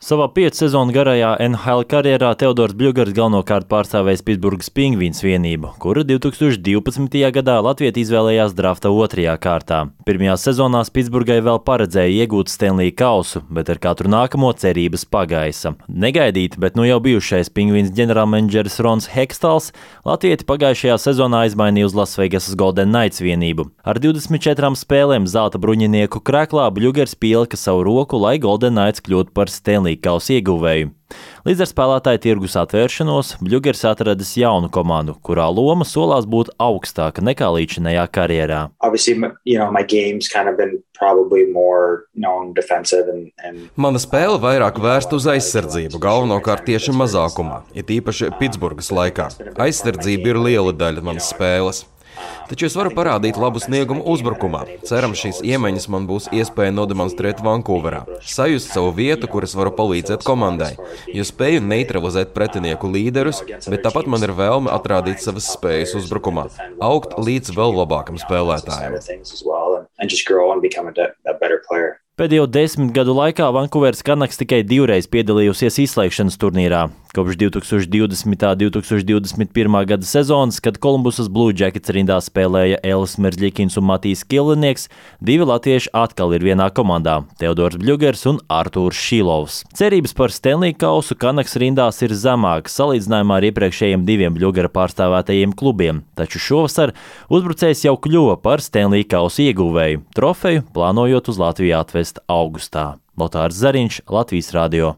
Savā 5 sezonu garajā NHL karjerā Teodors Bļugars galvenokārt pārstāvējis Pitsburgas Pingvīns vienību, kura 2012. gadā Latvieti izvēlējās drafta 2. kārtā. Pirmajās sezonās Pitsburgai vēl paredzēja iegūt Stanley kausu, bet ar katru nākamo cerības pagaisa. Negaidīti, bet nu jau bijušais Pingvīns ģenerālmenedžeris Rons Hekstals Latvieti pagājušajā sezonā izmainīja uz Lasvegasas Golden Knights vienību. Ar 24 spēlēm zelta bruņinieku krēklā Bļugars pielika savu roku, lai Golden Knights kļūtu par Stanley kausa ieguvēju. Līdz ar spēlētāju tirgus atvēršanos Bļugars atradis jaunu komandu, kurā loma solās būt augstāka nekā līdzinējā karjerā. Mana spēle vairāk vērsta uz aizsardzību, galvenokārt tieši mazākumā, it īpaši Pitsburgas laikā. Aizsardzība ir liela daļa manas spēles. Taču es varu parādīt labu sniegumu uzbrukumā. Cerams, šīs iemaņas man būs iespēja nodemonstrēt Vankūverā. Sajust savu vietu, kur es varu palīdzēt komandai, jo spēju neutralizēt pretinieku līderus, bet tāpat man ir vēlme atrādīt savas spējas uzbrukumā, augt līdz vēl labākam spēlētājam. Pēdējo 10 gadu laikā Vankūveras Canucks tikai 2 reiz piedalījusies izslēgšanas turnīrā. Kopš 2020. un 2021. gada sezonas, kad Kolumbusas Blue Jackets rindā spēlēja Elis Merzļikins un Matijs Kilinieks, 2 latvieši atkal ir vienā komandā – Teodors Bļugars un Artūrs Šilovs. Cerības par Stanley kausu Canucks rindās ir zemākas salīdzinājumā ar iepriekšējiem 2 Bļugara pārstāvētajiem klubiem, taču šovasar uzbrucējs jau kļuva par Stanley kausu ieguvēju, trofeju plānojot uz Latviju atvest augustā. Lotārs Zariņš, Latvijas radio.